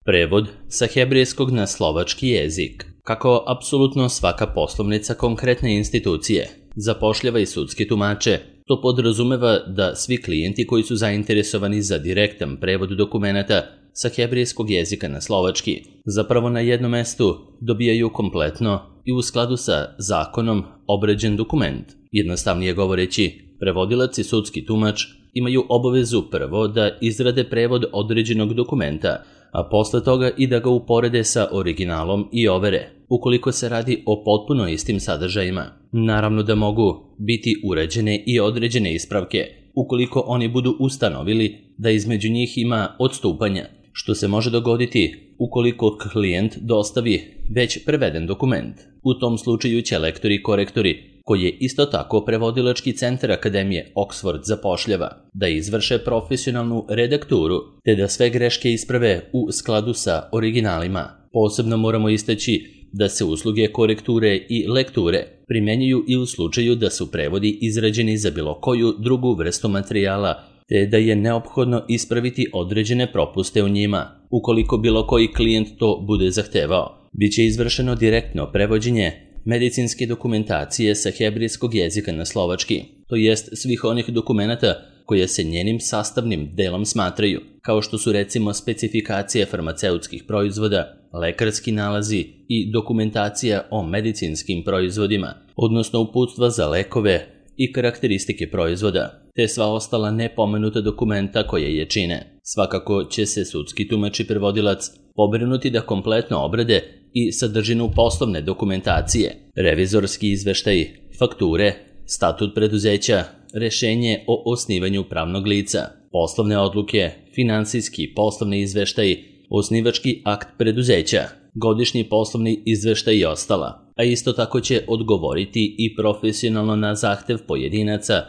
Prevod sa hebrejskog na slovački jezik. Kako apsolutno svaka poslovnica konkretne institucije zapošljava i sudske tumače, to podrazumeva da svi klijenti koji su zainteresovani za direktan prevod dokumenata sa hebrejskog jezika na slovački zapravo na jednom mestu dobijaju kompletno i u skladu sa zakonom obrađen dokument. Jednostavnije govoreći, prevodilac i sudski tumač imaju obavezu prvo da izrade prevod određenog dokumenta, a posle toga i da ga uporede sa originalom i overe, ukoliko se radi o potpuno istim sadržajima. Naravno da mogu biti urađene i određene ispravke, ukoliko oni budu ustanovili da između njih ima odstupanja, što se može dogoditi ukoliko klijent dostavi već preveden dokument. U tom slučaju će lektori i korektori, koji je isto tako prevodilački centar Akademije Oxford zapošljava, da izvrše profesionalnu redakturu, te da sve greške isprave u skladu sa originalima. Posebno moramo istaći da se usluge korekture i lekture primjenjuju i u slučaju da su prevodi izrađeni za bilo koju drugu vrstu materijala, te da je neophodno ispraviti određene propuste u njima. Ukoliko bilo koji klijent to bude zahtevao, biće izvršeno direktno prevođenje medicinske dokumentacije sa hebrejskog jezika na slovački, to jest svih onih dokumenata koje se njenim sastavnim delom smatraju, kao što su recimo specifikacije farmaceutskih proizvoda, lekarski nalazi i dokumentacija o medicinskim proizvodima, odnosno uputstva za lekove i karakteristike proizvoda, te sva ostala nepomenuta dokumenta koje je čine. Svakako će se sudski tumač i prevodilac pobrinuti da kompletno obrade i sadržinu poslovne dokumentacije, revizorski izveštaj, fakture, statut preduzeća, rešenje o osnivanju pravnog lica, poslovne odluke, finansijski poslovni izveštaj, osnivački akt preduzeća, godišnji poslovni izveštaj i ostala, a isto tako će odgovoriti i profesionalno na zahtev pojedinaca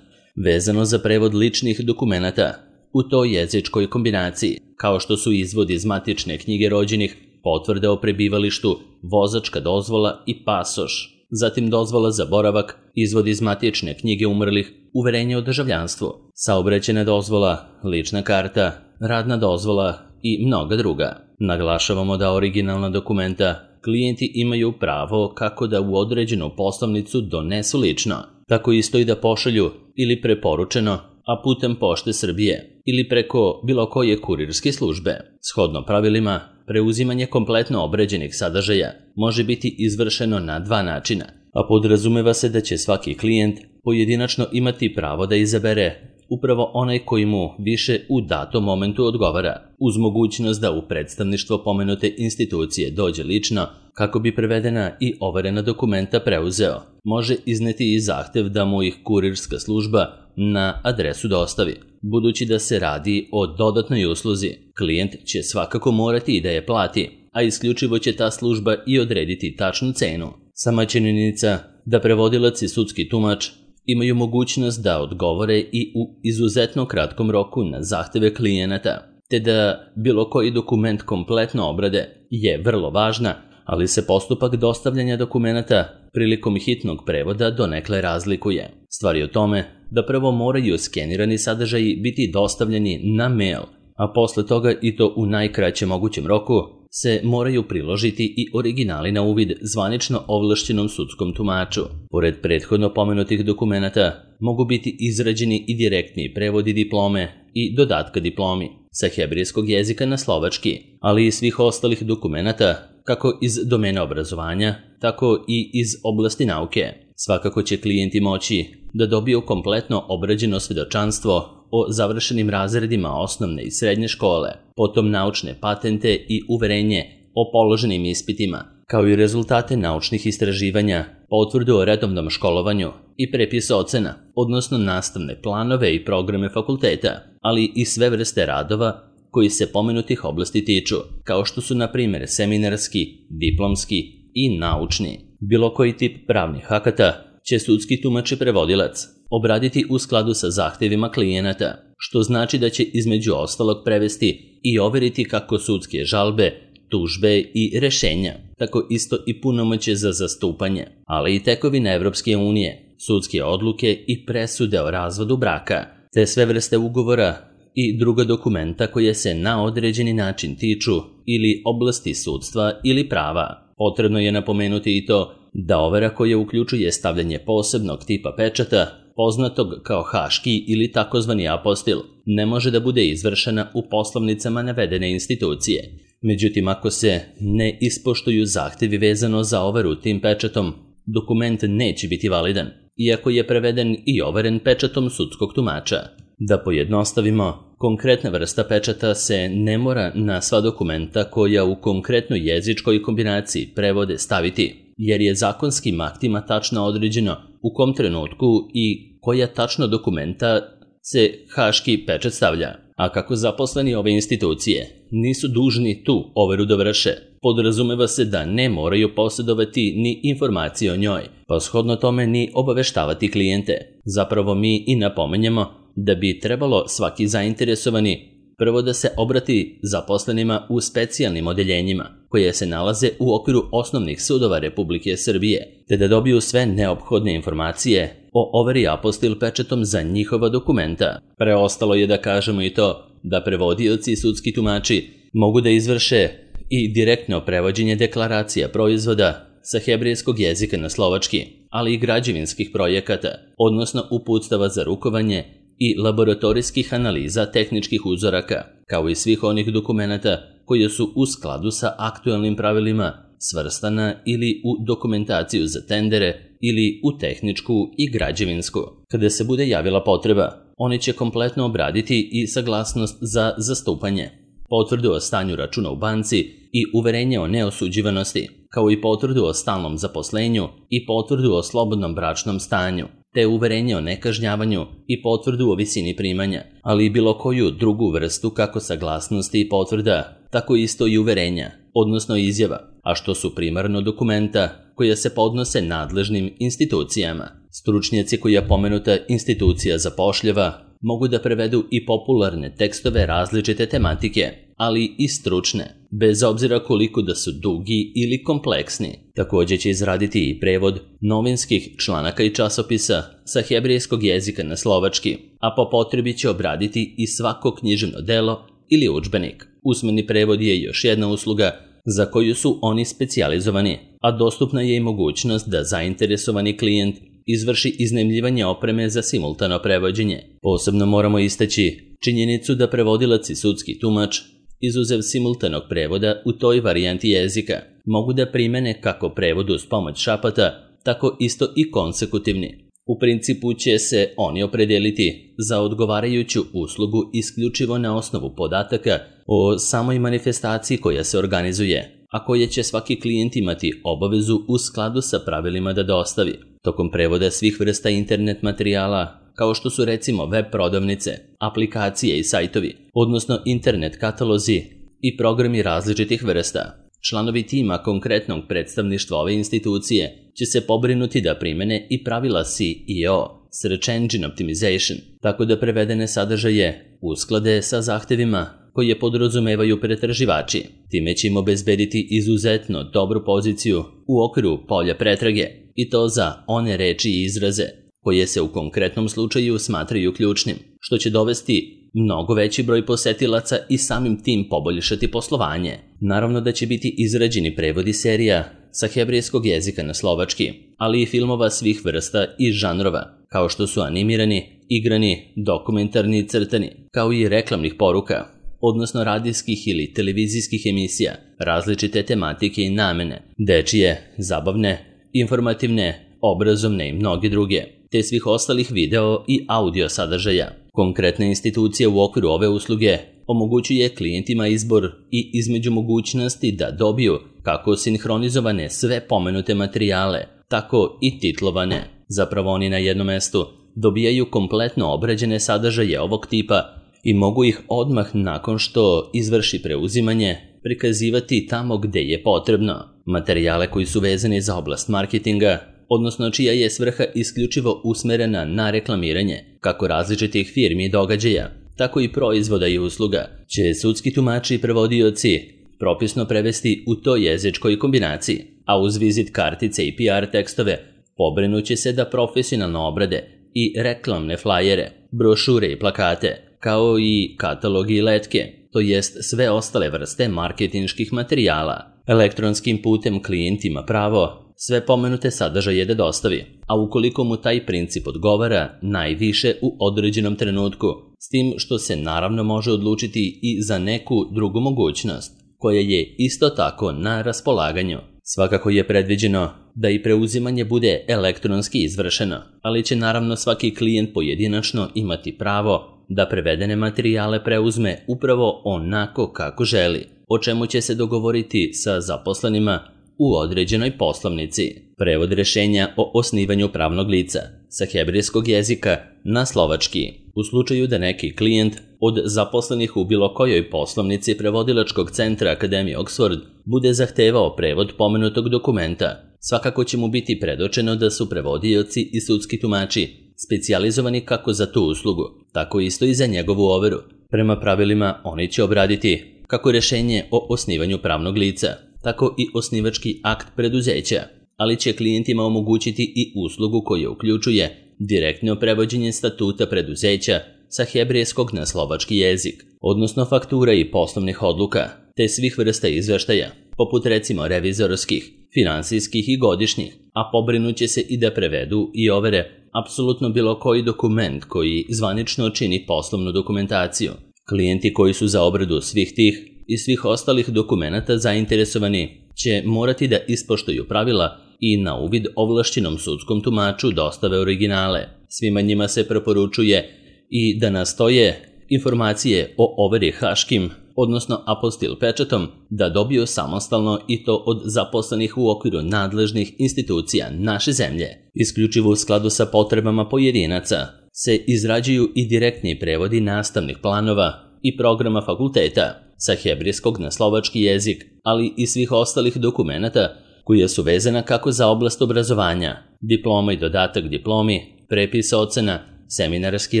vezano za prevod ličnih dokumenata u toj jezičkoj kombinaciji, kao što su izvod iz matične knjige rođenih, potvrde o prebivalištu, vozačka dozvola i pasoš, zatim dozvola za boravak, izvod iz matične knjige umrlih, uverenje o državljanstvu, saobraćajna dozvola, lična karta, radna dozvola i mnoga druga. Naglašavamo da originalna dokumenta klijenti imaju pravo kako da u određenu poslovnicu donesu lično, tako isto i da pošalju ili preporučeno, a putem Pošte Srbije ili preko bilo koje kurirske službe. Shodno pravilima, preuzimanje kompletno obrađenih sadržaja može biti izvršeno na dva načina, a podrazumeva se da će svaki klijent pojedinačno imati pravo da izabere upravo onaj koji mu više u datom momentu odgovara, uz mogućnost da u predstavništvo pomenute institucije dođe lično kako bi prevedena i overena dokumenta preuzeo. Može izneti i zahtev da mu ih kurirska služba na adresu dostavi. Budući da se radi o dodatnoj usluzi, klijent će svakako morati i da je plati, a isključivo će ta služba i odrediti tačnu cenu. Sama činjenica da prevodilac i sudski tumač imaju mogućnost da odgovore i u izuzetno kratkom roku na zahteve klijenata, te da bilo koji dokument kompletno obrade je vrlo važna, ali se postupak dostavljanja dokumenata prilikom hitnog prevoda donekle razlikuje. Stvar je o tome da prvo moraju skenirani sadržaji biti dostavljeni na mail, a posle toga i to u najkraćem mogućem roku se moraju priložiti i originali na uvid zvanično ovlašćenom sudskom tumaču. Pored prethodno pomenutih dokumenata mogu biti izrađeni i direktni prevodi diplome i dodatka diplomi sa hebrejskog jezika na slovački, ali i svih ostalih dokumenata kako iz domena obrazovanja, tako i iz oblasti nauke. Svakako će klijenti moći da dobiju kompletno obrađeno svedočanstvo o završenim razredima osnovne i srednje škole, potom naučne patente i uverenje o položenim ispitima, kao i rezultate naučnih istraživanja, potvrdu o redovnom školovanju i prepis ocena, odnosno nastavne planove i programe fakulteta, ali i sve vrste radova koji se pomenutih oblasti tiču, kao što su na primjer seminarski, diplomski i naučni. Bilo koji tip pravnih akata će sudski tumač i prevodilac obraditi u skladu sa zahtevima klijenata, što znači da će između ostalog prevesti i overiti kako sudske žalbe, tužbe i rešenja, tako isto i punomoćje za zastupanje, ali i tekovine Evropske unije, sudske odluke i presude o razvodu braka, te sve vrste ugovora i druga dokumenta koje se na određeni način tiču ili oblasti sudstva ili prava. Potrebno je napomenuti i to da overa koja uključuje stavljanje posebnog tipa pečata, poznatog kao haški ili takozvani apostil, ne može da bude izvršena u poslovnicama navedene institucije. Međutim, ako se ne ispoštuju zahtevi vezano za overu tim pečatom, dokument neće biti validan, iako je preveden i overen pečatom sudskog tumača. Da pojednostavimo, konkretna vrsta pečata se ne mora na sva dokumenta koja u konkretnoj jezičkoj kombinaciji prevode staviti, jer je zakonskim aktima tačno određeno u kom trenutku i koja tačno dokumenta se haški pečat stavlja. A kako zaposleni ove institucije nisu dužni tu overu da vrše, podrazumeva se da ne moraju posjedovati ni informacije o njoj, pa shodno tome ni obaveštavati klijente. Zapravo mi i napomenjemo da bi trebalo svaki zainteresovani prvo da se obrati zaposlenima u specijalnim odeljenjima, koje se nalaze u okviru osnovnih sudova Republike Srbije, te da dobiju sve neophodne informacije o overi apostil pečatom za njihova dokumenta. Preostalo je da kažemo i to da prevodioci i sudski tumači mogu da izvrše i direktno prevođenje deklaracija proizvoda sa hebrejskog jezika na slovački, ali i građevinskih projekata, odnosno uputstava za rukovanje i laboratorijskih analiza tehničkih uzoraka, kao i svih onih dokumenata koji su u skladu sa aktualnim pravilima svrstana ili u dokumentaciju za tendere ili u tehničku i građevinsku. Kada se bude javila potreba, oni će kompletno obraditi i saglasnost za zastupanje, potvrdu o stanju računa u banci i uverenje o neosuđivanosti, kao i potvrdu o stalnom zaposlenju i potvrdu o slobodnom bračnom stanju, te uverenje o nekažnjavanju i potvrdu o visini primanja, ali i bilo koju drugu vrstu kako saglasnosti i potvrda, tako isto i uverenja, odnosno izjava, a što su primarno dokumenta koja se podnose nadležnim institucijama. Stručnjaci koja pomenuta institucija zapošljava mogu da prevedu i popularne tekstove različite tematike, ali i stručne, bez obzira koliko da su dugi ili kompleksni. Također će izraditi i prevod novinskih članaka i časopisa sa hebrejskog jezika na slovački, a po potrebi će obraditi i svako književno delo ili udžbenik. Usmeni prevod je još jedna usluga za koju su oni specijalizovani, a dostupna je i mogućnost da zainteresovani klijent izvrši iznajmljivanje opreme za simultano prevođenje. Posebno moramo istaći činjenicu da prevodilac i sudski tumač, izuzev simultanog prevoda u toj varijanti jezika, mogu da primene kako prevod uz pomoć šapata, tako isto i konsekutivni. U principu će se oni opredeliti za odgovarajuću uslugu isključivo na osnovu podataka o samoj manifestaciji koja se organizuje, a koje će svaki klijent imati obavezu u skladu sa pravilima da dostavi. Tokom prevoda svih vrsta internet materijala, kao što su recimo web prodavnice, aplikacije i sajtovi, odnosno internet katalozi i programi različitih vrsta, članovi tima konkretnog predstavništva ove institucije će se pobrinuti da primene i pravila SEO, Search Engine Optimization, tako da prevedene sadržaje usklade sa zahtevima koje podrazumevaju pretraživači. Time će im obezbediti izuzetno dobru poziciju u okviru polja pretrage, i to za one reči i izraze koje se u konkretnom slučaju smatraju ključnim, što će dovesti mnogo veći broj posetilaca i samim tim poboljšati poslovanje. Naravno da će biti izrađeni prevodi serija sa hebrejskog jezika na slovački, ali i filmova svih vrsta i žanrova, kao što su animirani, igrani, dokumentarni i crtani, kao i reklamnih poruka, odnosno radijskih ili televizijskih emisija, različite tematike i namene, dečije, zabavne, informativne, obrazovne i mnoge druge, te svih ostalih video i audio sadržaja. Konkretna institucija u okviru ove usluge omogućuje klijentima izbor i između mogućnosti da dobiju kako sinhronizovane sve pomenute materijale, tako i titlovane. Zapravo oni na jednom mestu dobijaju kompletno obrađene sadržaje ovog tipa i mogu ih odmah nakon što izvrši preuzimanje prikazivati tamo gde je potrebno. Materijale koji su vezani za oblast marketinga, odnosno čija je svrha isključivo usmerena na reklamiranje kako različitih firmi i događaja, tako i proizvoda i usluga, će sudski tumači i prevodioci propisno prevesti u toj jezičkoj kombinaciji, a uz vizit kartice i PR tekstove pobrinuće se da profesionalno obrade i reklamne flajere, brošure i plakate, kao i katalogi i letke, to jest sve ostale vrste marketinških materijala. Elektronskim putem klijent ima pravo sve pomenute sadržaje da dostavi, a ukoliko mu taj princip odgovara, najviše u određenom trenutku, s tim što se naravno može odlučiti i za neku drugu mogućnost, koja je isto tako na raspolaganju. Svakako je predviđeno da i preuzimanje bude elektronski izvršeno, ali će naravno svaki klijent pojedinačno imati pravo da prevedene materijale preuzme upravo onako kako želi, o čemu će se dogovoriti sa zaposlenima u određenoj poslovnici. Prevod rješenja o osnivanju pravnog lica sa hebrejskog jezika na slovački. U slučaju da neki klijent od zaposlenih u bilo kojoj poslovnici prevodilačkog centra Akademije Oxford bude zahtevao prevod pomenutog dokumenta, svakako će mu biti predočeno da su prevodioci i sudski tumači specijalizovani kako za tu uslugu, tako isto i za njegovu overu. Prema pravilima oni će obraditi kako rješenje o osnivanju pravnog lica, tako i osnivački akt preduzeća, ali će klijentima omogućiti i uslugu koja uključuje direktno prevođenje statuta preduzeća sa hebrejskog na slovački jezik, odnosno faktura i poslovnih odluka, te svih vrsta izveštaja, poput recimo revizorskih, finansijskih i godišnjih, a pobrinut će se i da prevedu i overe apsolutno bilo koji dokument koji zvanično čini poslovnu dokumentaciju. Klijenti koji su za obradu svih tih i svih ostalih dokumenata zainteresovani će morati da ispoštuju pravila i na uvid ovlašćenom sudskom tumaču dostave originale. Svima njima se preporučuje i da nastoje informacije o overi haškim, odnosno apostil pečatom, da dobiju samostalno i to od zaposlenih u okviru nadležnih institucija naše zemlje. Isključivo u skladu sa potrebama pojedinaca se izrađuju i direktni prevodi nastavnih planova i programa fakulteta sa hebrejskog na slovački jezik, ali i svih ostalih dokumenata koja su vezana kako za oblast obrazovanja, diploma i dodatak diplomi, prepis ocena, seminarski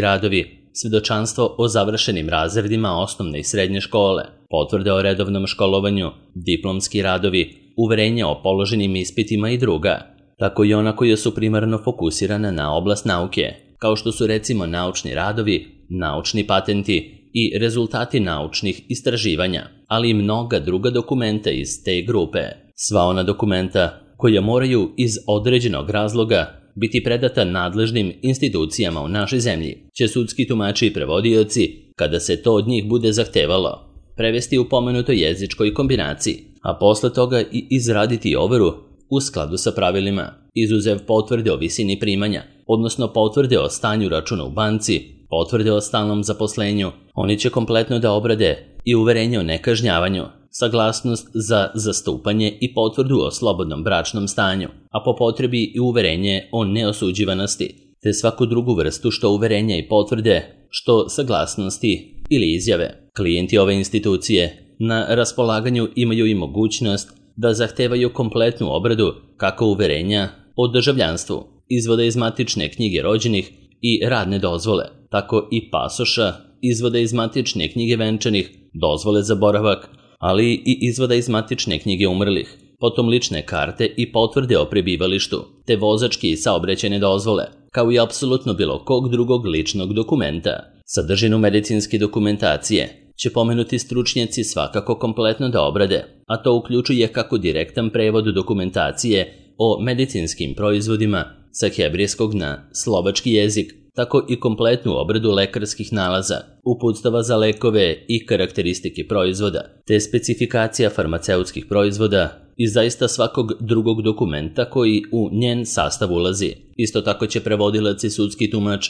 radovi, svedočanstvo o završenim razredima osnovne i srednje škole, potvrde o redovnom školovanju, diplomski radovi, uverenja o položenim ispitima i druga, tako i ona koja su primarno fokusirana na oblast nauke, kao što su recimo naučni radovi, naučni patenti i rezultati naučnih istraživanja, ali i mnoga druga dokumenta iz te grupe. Sva ona dokumenta koja moraju iz određenog razloga biti predata nadležnim institucijama u našoj zemlji, će sudski tumači i prevodioci, kada se to od njih bude zahtevalo, prevesti u pomenutoj jezičkoj kombinaciji, a posle toga i izraditi overu u skladu sa pravilima, izuzev potvrde o visini primanja, odnosno potvrde o stanju računa u banci, potvrde o stalnom zaposlenju. Oni će kompletno da obrade i uverenje o nekažnjavanju, saglasnost za zastupanje i potvrdu o slobodnom bračnom stanju, a po potrebi i uverenje o neosuđivanosti, te svaku drugu vrstu što uverenja i potvrde, što saglasnosti ili izjave. Klijenti ove institucije na raspolaganju imaju i mogućnost da zahtevaju kompletnu obradu kako uverenja o državljanstvu, izvoda iz matične knjige rođenih i radne dozvole, tako i pasoša, izvoda iz matične knjige venčanih, dozvole za boravak, ali i izvoda iz matične knjige umrlih, potom lične karte i potvrde o prebivalištu, te vozačke i saobraćajne dozvole, kao i apsolutno bilo kog drugog ličnog dokumenta. Sadržinu medicinske dokumentacije će pomenuti stručnjaci svakako kompletno da obrade, a to uključuje kako direktan prevod dokumentacije o medicinskim proizvodima sa hebrejskog na slovački jezik, tako i kompletnu obradu lekarskih nalaza, uputstava za lekove i karakteristike proizvoda, te specifikacija farmaceutskih proizvoda i zaista svakog drugog dokumenta koji u njen sastav ulazi. Isto tako će prevodilac i sudski tumač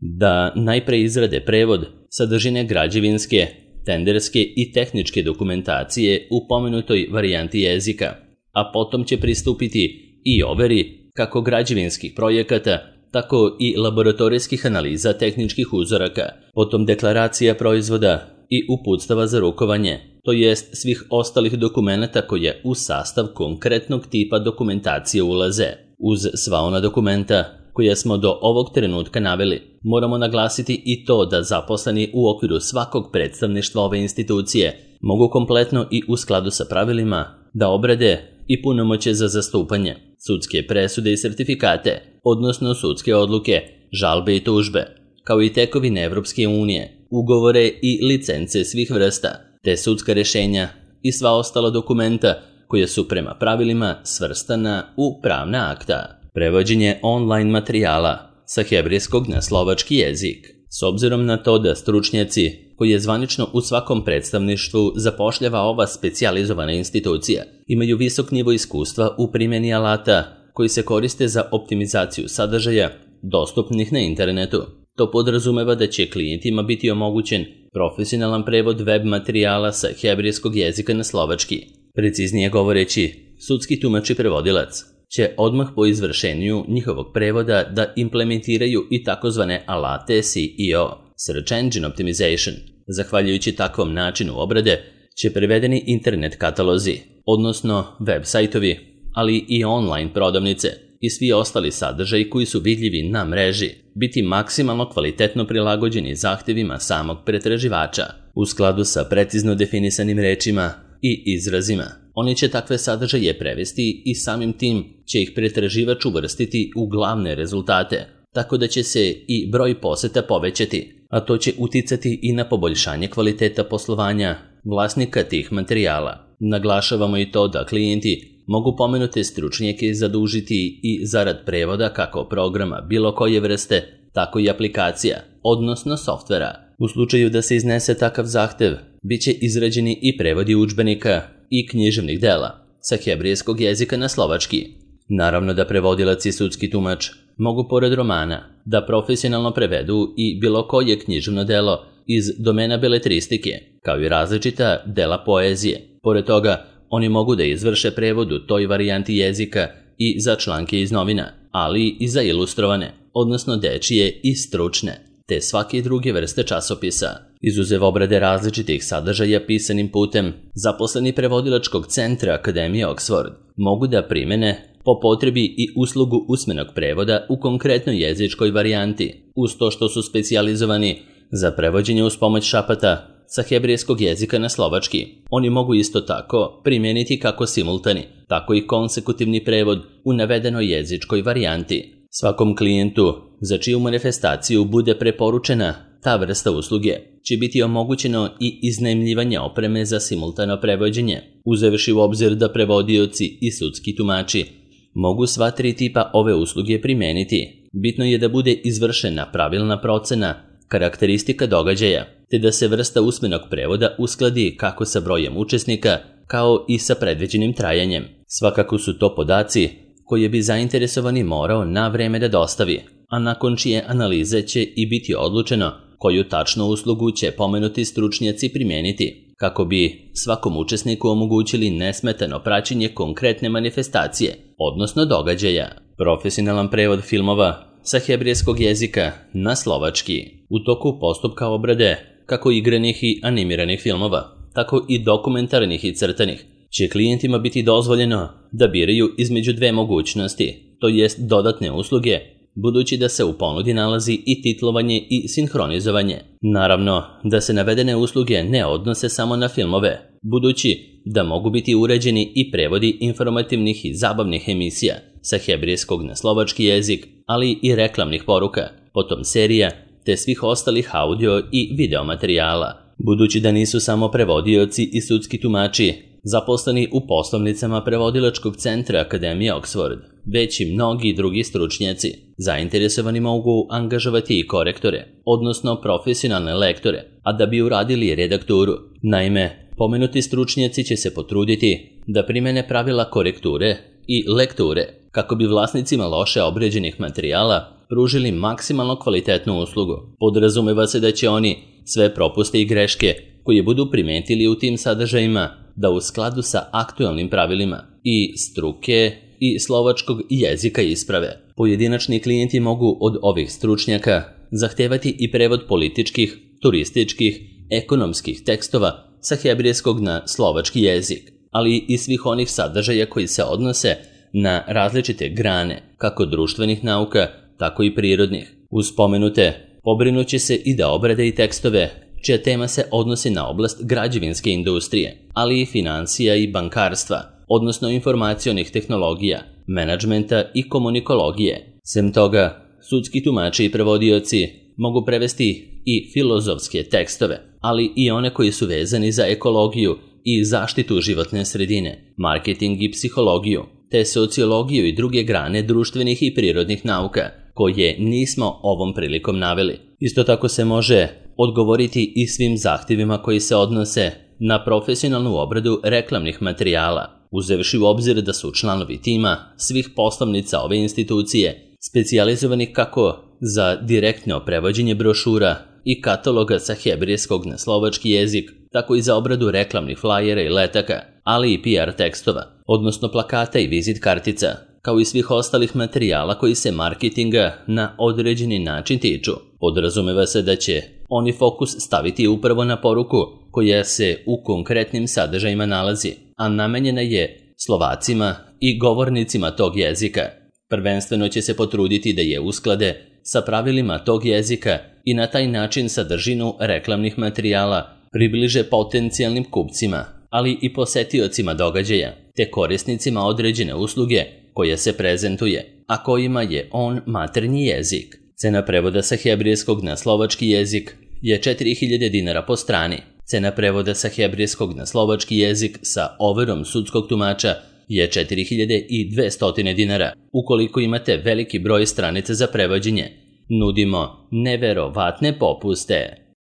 da najpre izrade prevod sadržine građevinske, tenderske i tehničke dokumentacije u pomenutoj varijanti jezika, a potom će pristupiti i overi kako građevinskih projekata, tako i laboratorijskih analiza tehničkih uzoraka, potom deklaracija proizvoda i uputstava za rukovanje, to jest svih ostalih dokumenata koje u sastav konkretnog tipa dokumentacije ulaze. Uz sva ona dokumenta koje smo do ovog trenutka naveli, moramo naglasiti i to da zaposleni u okviru svakog predstavništva ove institucije mogu kompletno i u skladu sa pravilima da obrade i punomoćje za zastupanje, sudske presude i sertifikate, odnosno sudske odluke, žalbe i tužbe, kao i tekovine Evropske unije, ugovore i licence svih vrsta, te sudska rešenja i sva ostala dokumenta koja su prema pravilima svrstana u pravna akta. Prevođenje online materijala sa hebrejskog na slovački jezik. S obzirom na to da stručnjaci, koji je zvanično u svakom predstavništvu zapošljava ova specijalizovana institucija, imaju visok nivo iskustva u primjeni alata koji se koriste za optimizaciju sadržaja dostupnih na internetu. To podrazumeva da će klijentima biti omogućen profesionalan prevod web materijala sa hebrejskog jezika na slovački. Preciznije govoreći, sudski tumač i prevodilac će odmah po izvršenju njihovog prevoda da implementiraju i takozvane alate SEO, Search Engine Optimization. Zahvaljujući takvom načinu obrade će prevedeni internet katalozi, odnosno web sajtovi, ali i online prodavnice i svi ostali sadržaji koji su vidljivi na mreži biti maksimalno kvalitetno prilagođeni zahtevima samog pretraživača u skladu sa precizno definisanim rečima i izrazima. Oni će takve sadržaje prevesti i samim tim će ih pretraživač uvrstiti u glavne rezultate, tako da će se i broj poseta povećati, a to će uticati i na poboljšanje kvaliteta poslovanja vlasnika tih materijala. Naglašavamo i to da klijenti mogu pomenute stručnjake zadužiti i zarad prevoda kako programa bilo koje vrste, tako i aplikacija, odnosno softvera. U slučaju da se iznese takav zahtev, bit će izrađeni i prevodi udžbenika i književnih dela sa hebrejskog jezika na slovački. Naravno da prevodilac i sudski tumač mogu pored romana da profesionalno prevedu i bilo koje književno delo iz domena beletristike, kao i različita dela poezije. Pored toga, oni mogu da izvrše prevod u toj varijanti jezika i za članke iz novina, ali i za ilustrovane, odnosno dečije i stručne, te svake druge vrste časopisa. Izuzev obrade različitih sadržaja pisanim putem, zaposleni prevodilačkog centra Akademije Oxford mogu da primene po potrebi i uslugu usmenog prevoda u konkretnoj jezičkoj varijanti, uz to što su specijalizovani za prevođenje uz pomoć šapata sa hebrejskog jezika na slovački. Oni mogu isto tako primijeniti kako simultani, tako i konsekutivni prevod u navedenoj jezičkoj varijanti. Svakom klijentu za čiju manifestaciju bude preporučena ta vrsta usluge će biti omogućeno i iznajmljivanje opreme za simultano prevođenje, uzevši u obzir da prevodioci i sudski tumači mogu sva tri tipa ove usluge primijeniti. Bitno je da bude izvršena pravilna procena karakteristika događaja, te da se vrsta usmenog prevoda uskladi kako sa brojem učesnika, kao i sa predviđenim trajanjem. Svakako su to podaci koje bi zainteresovani morao na vreme da dostavi, a nakon čije analize će i biti odlučeno koju tačnu uslugu će pomenuti stručnjaci primijeniti, kako bi svakom učesniku omogućili nesmetano praćenje konkretne manifestacije, odnosno događaja. Profesionalan prevod filmova sa hebrejskog jezika na slovački. U toku postupka obrade, kako igranih i animiranih filmova, tako i dokumentarnih i crtanih, će klijentima biti dozvoljeno da biraju između dve mogućnosti, to jest dodatne usluge, budući da se u ponudi nalazi i titlovanje i sinhronizovanje. Naravno da se navedene usluge ne odnose samo na filmove, budući da mogu biti uređeni i prevodi informativnih i zabavnih emisija sa hebrejskog na slovački jezik, ali i reklamnih poruka, potom serija, te svih ostalih audio i video materijala. Budući da nisu samo prevodioci i sudski tumači zaposleni u poslovnicama prevodilačkog centra Akademije Oxford, već i mnogi drugi stručnjaci zainteresovani mogu angažovati i korektore, odnosno profesionalne lektore, a da bi uradili redakturu. Naime, pomenuti stručnjaci će se potruditi da primene pravila korekture i lekture, kako bi vlasnicima loše obređenih materijala pružili maksimalno kvalitetnu uslugu. Podrazumeva se da će oni sve propuste i greške koje budu primetili u tim sadržajima da u skladu sa aktualnim pravilima i struke i slovačkog jezika isprave. Pojedinačni klijenti mogu od ovih stručnjaka zahtevati i prevod političkih, turističkih, ekonomskih tekstova sa hebrejskog na slovački jezik, ali i svih onih sadržaja koji se odnose na različite grane, kako društvenih nauka, tako i prirodnih. Uz spomenute, pobrinuće se i da obrade i tekstove čija tema se odnosi na oblast građevinske industrije, ali i financija i bankarstva, odnosno informacionih tehnologija, menadžmenta i komunikologije. Sem toga, sudski tumači i prevodioci mogu prevesti i filozofske tekstove, ali i one koji su vezani za ekologiju i zaštitu životne sredine, marketing i psihologiju, te sociologiju i druge grane društvenih i prirodnih nauka, koje nismo ovom prilikom naveli. Isto tako se može odgovoriti i svim zahtjevima koji se odnose na profesionalnu obradu reklamnih materijala, uzevši u obzir da su članovi tima svih poslovnica ove institucije specijalizovanih kako za direktno prevođenje brošura i kataloga sa hebrejskog na slovački jezik, tako i za obradu reklamnih flajera i letaka, ali i PR tekstova, odnosno plakata i vizit kartica, kao i svih ostalih materijala koji se marketinga na određeni način tiču. Podrazumeva se da će oni fokus staviti upravo na poruku koja se u konkretnim sadržajima nalazi, a namenjena je Slovacima i govornicima tog jezika. Prvenstveno će se potruditi da je usklade sa pravilima tog jezika i na taj način sadržinu reklamnih materijala približe potencijalnim kupcima, ali i posetiocima događaja, te korisnicima određene usluge koja se prezentuje, a kojima je on maternji jezik. Cena prevoda sa hebrejskog na slovački jezik je 4000 dinara po strani. Cena prevoda sa hebrejskog na slovački jezik sa overom sudskog tumača je 4200 dinara. Ukoliko imate veliki broj stranica za prevođenje, nudimo neverovatne popuste.